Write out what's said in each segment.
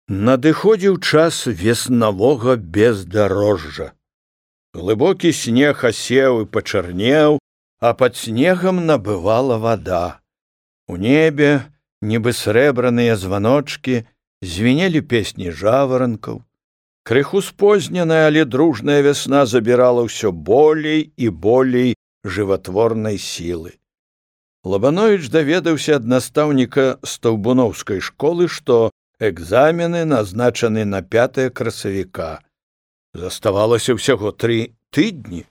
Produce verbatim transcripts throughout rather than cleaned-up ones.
Надыходзіў час веснавога бездарожжа. Глыбокі снег асеў і пачарнеў, а пад снегам набывала вада. У небе, нібы срэбраныя званочкі, звінелі песні жаваранкаў. Крыху спозненая, але дружная вясна забірала ўсё болей і болей жыватворнай сілы. Лабановіч даведаўся ад настаўніка стаўбуноўскай школы, што экзамены назначаны на пятае красавіка. Заставалася ўсяго тры тыдні.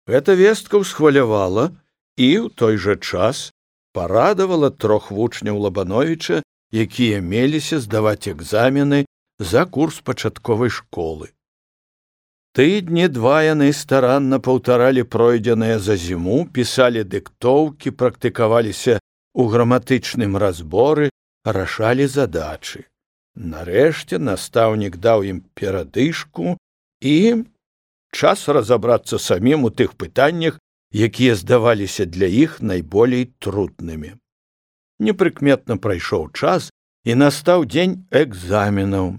Гэта вестка ўсхвалявала і ў той жа час парадавала трох вучняў Лабановіча, якія меліся здаваць экзамены за курс пачатковай школы. Тыдні два яны старанна паўтаралі пройдзенае за зіму, пісалі дыктоўкі, практыкаваліся ў граматычным разборы, рашалі задачы. Нарэшце настаўнік даў ім перадышку і час разабрацца самім у тых пытаннях, якія здаваліся для іх найболей труднымі. Непрыкметна прайшоў час, і настаў дзень экзаменаў.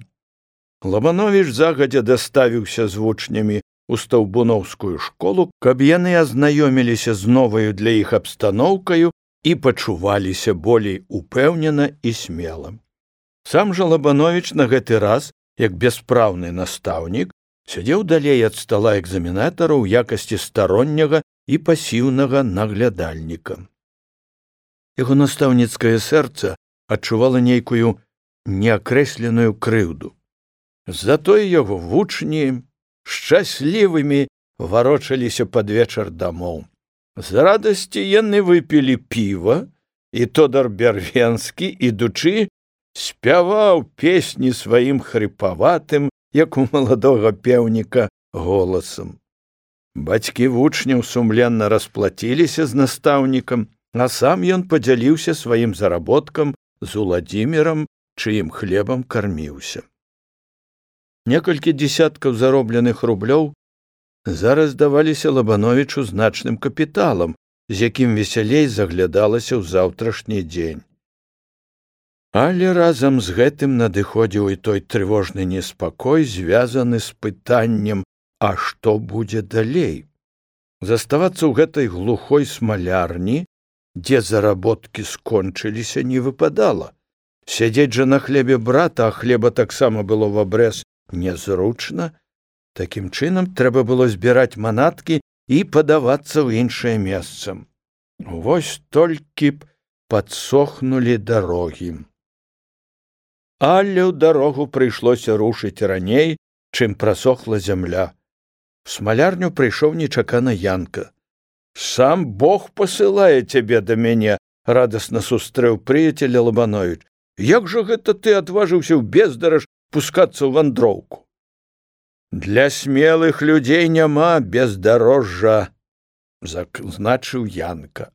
Лабановіч загадзя даставіўся з вучнямі ў стаўбуноўскую школу, каб яны азнаёміліся з новаю для іх абстаноўкаю і пачуваліся болей упэўнена і смела. Сам жа Лабановіч на гэты раз, як бяспраўны настаўнік, сядзеў далей ад стала экзаменатара ў якасці старонняга і пасіўнага наглядальніка. Яго настаўніцкае сэрца адчувала нейкую неакрэсленую крыўду. Затое яго вучні шчаслівымі варочаліся пад вечар дамоў. З радасці яны выпілі піва, і Тодар Бярвенскі, ідучы, спяваў песні сваім хрыпаватым, як у маладога пеўніка, голасам. Бацькі вучняў сумленна расплаціліся з настаўнікам, а сам ён падзяліўся сваім заработкам з Уладзімірам, чыім хлебам карміўся. Некалькі дзесяткаў заробленых рублёў зараз даваліся Лабановічу значным капіталам, з якім весялей заглядалася ў заўтрашні дзень. Але разам з гэтым надыходзіў і той трывожны неспакой, звязаны з пытаннем, а што будзе далей? Заставацца ў гэтай глухой смалярні, дзе заработкі скончыліся, не выпадала. Сядзець жа на хлебе брата, а хлеба таксама было в абрэз, нязручна. Такім чынам трэба было збіраць манаткі і падавацца ў іншае месца. Вось толькі б падсохнулі дарогі. Але ў дарогу прыйшлося рушыць раней, чым прасохла зямля. В смалярню прыйшоў нечакана Янка. «Сам Бог пасылае цябе да мяне», — радасна сустрэў прыяцеля Лабановіч. «Як жа гэта ты адважыўся ў бездараж пускацца ў вандроўку?» «Для смелых людзей няма бездарожжа», — значыў Янка.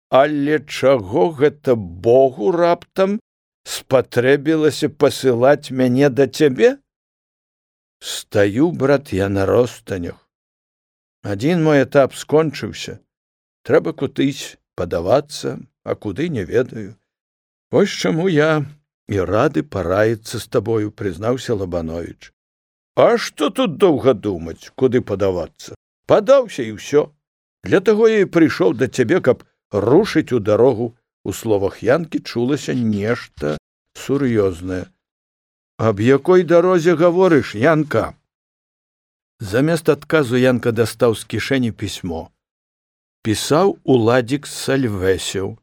«Але чаго гэта Богу раптам спатрэбілася пасылаць мяне да цябе?» «Стаю, брат, я на ростанях. Адзін мой этап скончыўся. Трэба кудысь падавацца, а куды не ведаю. Вось чаму я і рады параіцца з табою», — прызнаўся Лабановіч. «А што тут доўга думаць, куды падавацца? Падаўся і ўсё. Для таго я і прыйшоў да цябе, каб рушыць у дарогу». У словах Янкі чулася нешта сур'ёзнае. «Аб якой дарозе гаворыш, Янка?» Замест адказу Янка дастаў з кішэні пісьмо. Пісаў Уладзік Сальвэсеў.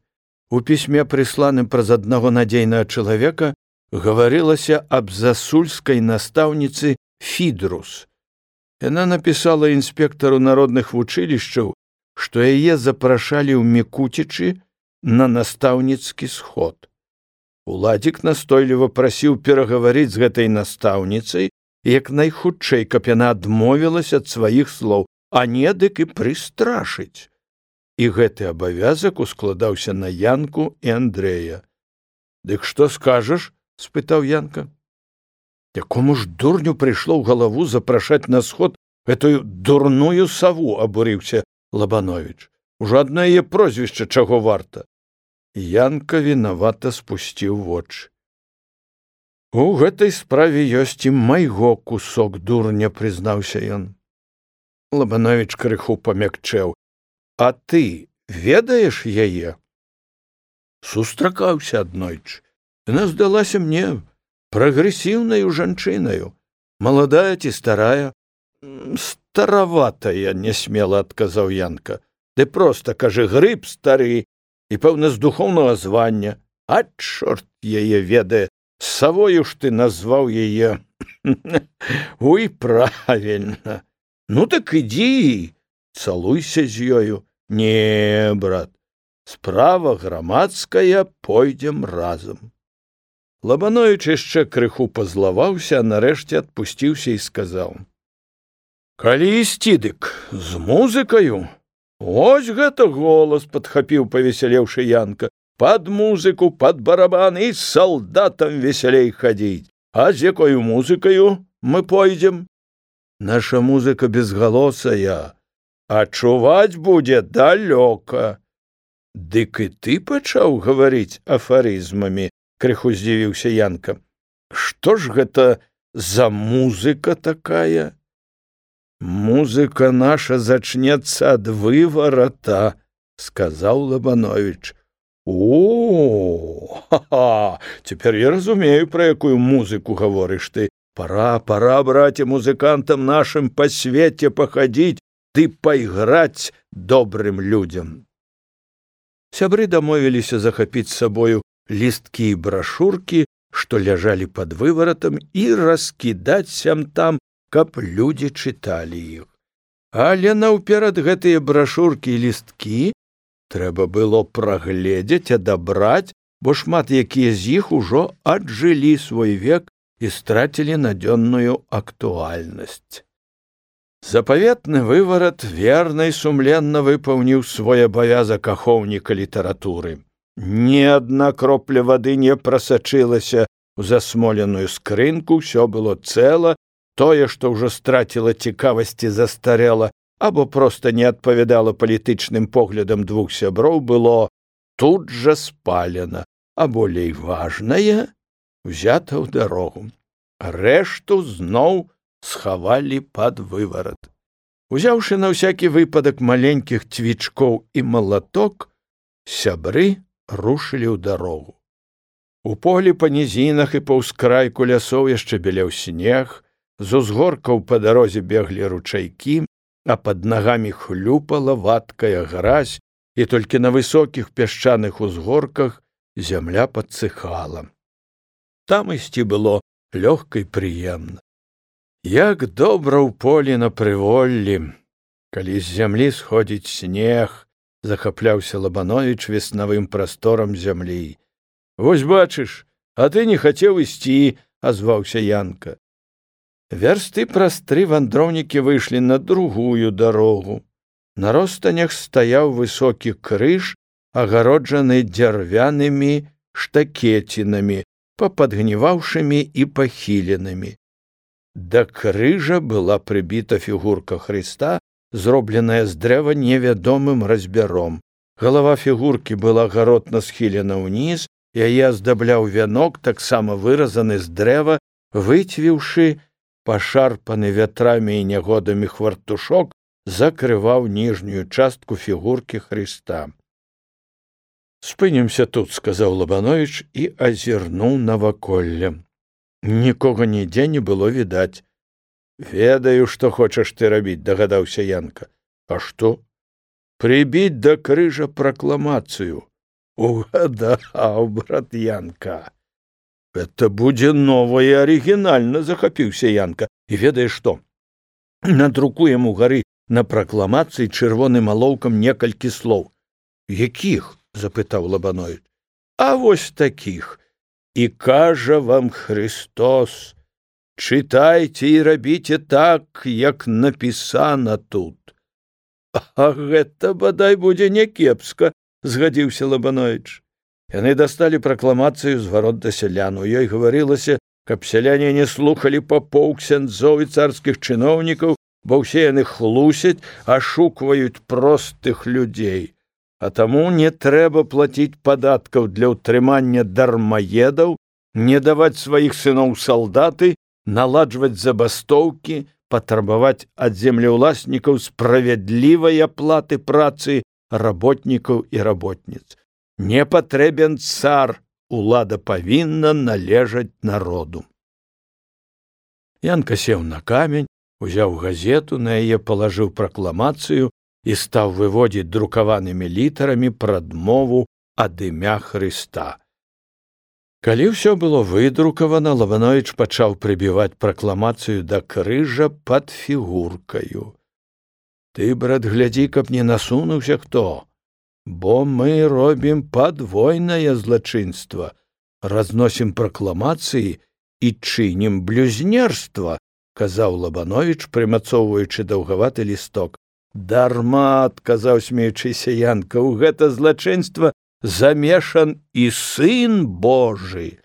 У пісьме, прысланым праз аднаго надзейнага чалавека, гаварылася аб засульскай настаўніцы Фідрус. Яна напісала інспектару народных вучылішчаў, што яе запрашалі ў Мікуцічы на настаўніцкі сход. Уладзік настойліва прасіў перагаварыць з гэтай настаўніцай як найхутчэй, каб яна адмовілася ад сваіх слоў, а не дык і прыстрашыць. І гэты абавязак ускладаўся на Янку і Андрэя. «Дык што скажаш?» — спытаў Янка. «Якому ж дурню прыйшло ў галаву запрашаць на сход гэтую дурную саву?» — абурыўся Лабановіч. «Ужо адно яе прозвішча чаго варта». Янка вінавата спусціў вочы. У гэтай справе ёсць і майго кусок, дурня, прызнаўся ён. Лабановіч крыху памякчэў. А ты ведаеш яе? Сустракаўся аднойчы. Яна здалася мне прагрэсіўнаю жанчынаю. Маладая ці старая? Стараватая, несмела адказаў Янка. Ды проста, кажы, грыб стары і, пэўна, з духоўнага звання. А чорт яе ведае, савою ж ты назваў яе. Уй, правільна. Ну так ідзі, цалуйся з ёю. Не, брат, справа грамадская, пойдзем разам. Лабановіч яшчэ крыху пазлаваўся, а нарэшце адпусціўся і сказаў. Калі ісці, дык з музыкаю? Ось гэта голас, падхапіў павесялеўшы Янка. Пад музыку, пад барабан і з салдатам весялей хадзіць. А з якою музыкаю мы пойдзем? Наша музыка безгалосая, а чуваць будзе далёка. Дык і ты пачаў гаварыць афарызмамі, крыху здзівіўся Янка. Што ж гэта за музыка такая? Музыка наша зачнецца ад выварата, сказаў Лабановіч. О, ха-ха, цяпер я разумею, пра якую музыку гаворыш ты. Пора, пора, браце, музыкантам нашым па свеце пахадзіць ды пайграць добрым людзям. Сябры дамовіліся захапіць з сабою лісткі і брашуркі, што ляжалі пад вываратам, і раскідаць сям-там, каб людзі чыталі іх. Але наўперад гэтыя брашуркі і лісткі трэба было прагледзець, адабраць, бо шмат якія з іх ужо аджылі свой век і страцілі надзённую актуальнасць. Запаветны выварат верна і сумленна выпаўніў свой абавязак ахоўніка літаратуры. Ні адна кропля вады не прасачылася ў засмоленую скрынку, усё было цэла, тое, што ўжо страціла цікавасці, застарэла, або проста не адпавядала палітычным поглядам двух сяброў, было тут жа спалена, а болей важнае узята ў дарогу. Рэшту зноў схавалі пад выварат. Узяўшы на ўсякі выпадак маленькіх цвічкоў і малаток, сябры рушылі ў дарогу. У полі па нізінах і па ўскрайку лясоў яшчэ белеў снег, з узгоркаў па дарозе беглі ручайкі, а пад нагамі хлюпала вадкая гразь, і толькі на высокіх пясчаных узгорках зямля падсыхала. Там ісці было лёгка і прыемна. Як добра ў полі на прыволлі, калі з зямлі сходзіць снег, захапляўся Лабановіч веснавым прасторам зямлі. Вось бачыш, а ты не хацеў ісці, азваўся Янка. Вярсты праз тры вандроўнікі выйшлі на другую дарогу. На ростанях стаяў высокі крыж, агароджаны дзярвянымі штакецінамі, пападгніваўшымі і пахіленымі. Да крыжа была прыбіта фігурка Хрыста, зробленая з дрэва невядомым разьбяром. Галава фігуркі была гаротна схілена ўніз, яе аздабляў вянок, таксама выразаны з дрэва, выцвіўшы пашарпаны вятрамі і нягодамі хвартушок, закрываў ніжнюю частку фігуркі Хрыста. «Спынімся тут», — сказаў Лабановіч і азірнуў наваколле. Нікога нідзе не было відаць. «Ведаю, што хочаш ты рабіць», — дагадаўся Янка. «А што?» «Прыбіць да крыжа пракламацыю». «Угадаў, брат Янка». «Это будзе нова і арыгінальна», — захапіўся Янка. «І ведаеш што? Надрукуем у гары на пракламацыі чырвоным алоўкам некалькі слоў». «Якіх?» — запытаў Лабановіч. «А вось такіх. І кажа вам Христос, чытайце і рабіце так, як напісана тут». «А гэта, бадай, будзе някепска», — згадзіўся Лабановіч. Яны дасталі пракламацыю з варот да сялян. У ёй гаварылася, каб сяляне не слухалі папоў, ксяндзоў і царскіх чыноўнікаў, бо ўсе яны хлусяць, ашукваюць простых людзей. А таму не трэба плаціць падаткаў для ўтрымання дармаедаў не даваць сваіх сыноў салдаты, наладжваць забастоўкі, патрабаваць ад землеўласнікаў справядлівай аплаты працы работнікаў і работніц. Не патрэбен цар, улада павінна належаць народу. Янка сеў на камень, узяў газету, на яе палажыў пракламацыю і стаў выводзіць друкаванымі літарамі прадмову ад імя Хрыста. Калі ўсё было выдрукавана, Лабановіч пачаў прыбіваць пракламацыю да крыжа пад фігуркаю. Ты, брат, глядзі, каб не насунуўся хто, бо мы робім падвойнае злачынства, разносім пракламацыі і чынім блюзнерства, казаў Лабановіч, прымацоўваючы даўгаваты лісток. Дарма, адказаў смеючыся Янка, у гэта злачынства замешан і сын Божы.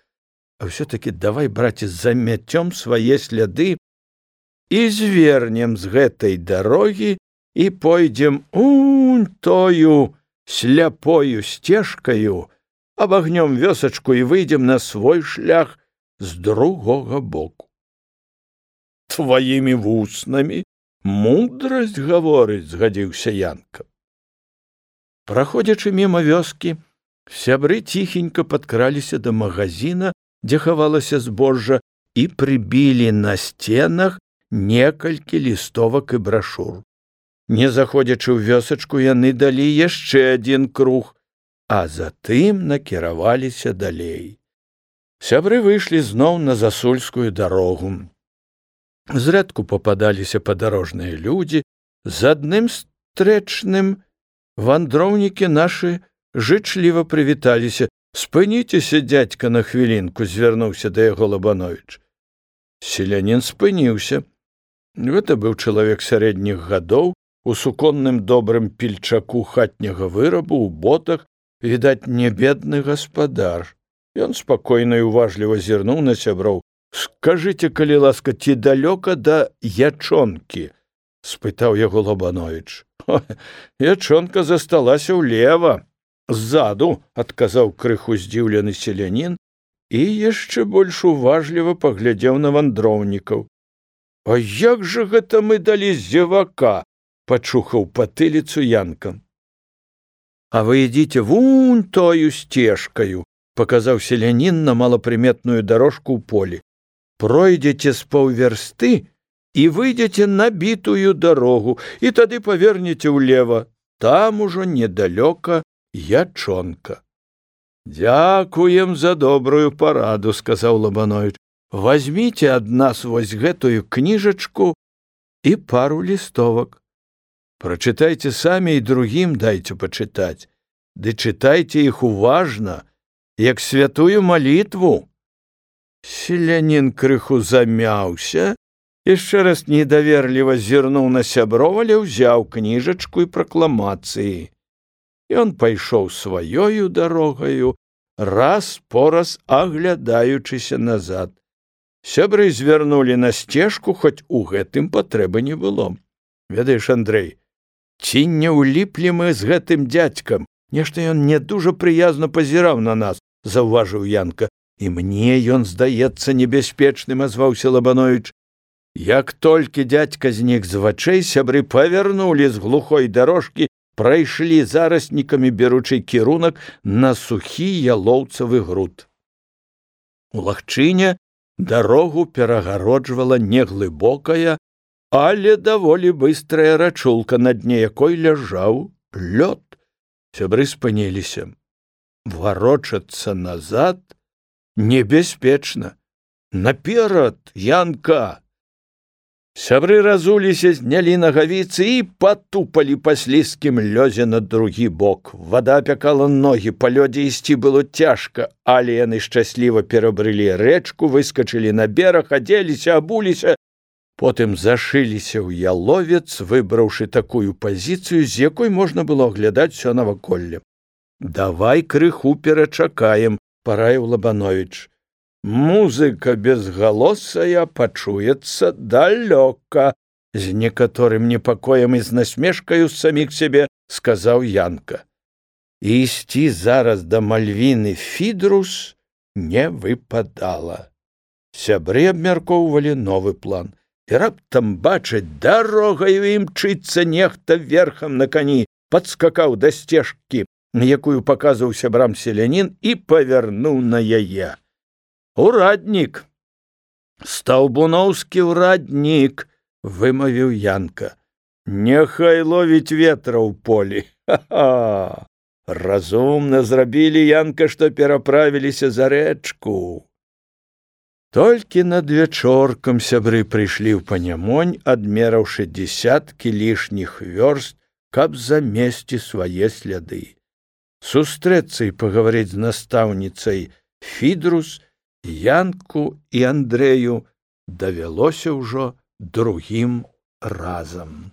А ўсё-такі давай, браце, замяцём свае сляды і звернем з гэтай дарогі і пойдзем унь тою сляпою сцежкаю, абагнём вёсачку і выйдзем на свой шлях з другога боку. Тваімі вуснамі мудрасць гаворыць, згадзіўся Янка. Праходзячы міма вёскі, сябры ціхенька падкраліся да магазіна, дзе хавалася збожжа, і прыбілі на сценах некалькі лістовак і брашур. Не заходзячы ў вёсачку, яны далі яшчэ адзін круг, а затым накіраваліся далей. Сябры выйшлі зноў на засульскую дарогу. Зрэдку пападаліся падарожныя людзі, з адным стрэчным вандроўнікі нашы жычліва прывіталіся. Спыніцеся, дзядзька, на хвілінку, звярнуўся да яго Лабановіч. Селянін спыніўся. Гэта быў чалавек сярэдніх гадоў, у суконным добрым пільчаку хатняга вырабу, у ботах, відаць, не бедны гаспадар. Ён спакойна і уважліва зірнуў на сяброў. Скажыце, калі ласка, ці далёка да ячонкі? Спытаў яго Лабановіч. Ячонка засталася ўлева. Ззаду, адказаў крыху здзіўлены селянін і яшчэ больш уважліва паглядзеў на вандроўнікаў. А як жа гэта мы далі зевака? Пачухаў патыліцу Янка. А вы ідзіце вунь тою сцежкаю, паказаў селянін на малапрыметную дарожку ў полі. Пройдзеце з паўвярсты і выйдзеце на бітую дарогу, і тады павернеце ўлева. Там ужо недалёка ячонка. Дзякуем за добрую параду, сказаў Лабановіч. Вазьміце ад нас вось гэтую кніжачку і пару лістовак. Прачытайце самі і другім дайце пачытаць. Ды чытайце іх уважна, як святую малітву. Селянін крыху замяўся, яшчэ раз недаверліва зірнуў на сяброў, але ўзяў кніжачку і пракламацыі. Ён пайшоў сваёю дарогаю, раз по раз аглядаючыся назад. Сябры звярнулі на сцежку, хоць у гэтым патрэбы не было. Ведаеш, Андрэй, ці не ўліплі мы з гэтым дзядзькам? Нешта ён не дужа прыязна пазіраў на нас, заўважыў Янка. І мне ён здаецца небяспечным, азваўся Лабановіч. Як толькі дзядзька знік з вачэй, сябры павярнулі з глухой дарожкі, прайшлі зараснікамі, беручы кірунак на сухі ялоўцавы груд. У лагчыне дарогу перагароджвала неглыбокая, але даволі быстрая рачулка, на дне якой ляжаў лёд. Сябры спыніліся. Варочацца назад небяспечна. Наперад, Янка! Сябры разуліся, знялі нагавіцы і патупалі па слізкім лёзе на другі бок. Вада апякала ногі, па лёдзе ісці было цяжка, але яны шчасліва перабрылі рэчку, выскачылі на бераг, адзеліся, абуліся, потым зашыліся ў яловец, выбраўшы такую пазіцыю, з якой можна было аглядаць усё наваколле. Давай крыху перачакаем, параіў Лабановіч. Музыка безгалосая пачуецца далёка, з некаторым непакоем і з насмешкаю з саміх сябе, сказаў Янка. І ісці зараз да Мальвіны Фідрус не выпадала. Сябры абмяркоўвалі новы план. І раптам бачаць, дарогаю імчыцца нехта верхам на кані, падскакаў да сцежкі, якую паказваў сябрам селянін, і павярнуў на яе. Ураднік, стаўбуноўскі ўраднік, вымавіў Янка. Няхай ловіць ветра ў полі. Ха-ха! Разумна зрабілі, Янка, што пераправіліся за рэчку. Толькі над вечоркам сябры прыйшлі ў Панямонь, адмераўшы дзесяткі лішніх вёрст, каб замесці свае сляды. Сустрэцца і пагаварыць з настаўніцай Фідрус Янку і Андрэю давялося ўжо другім разам.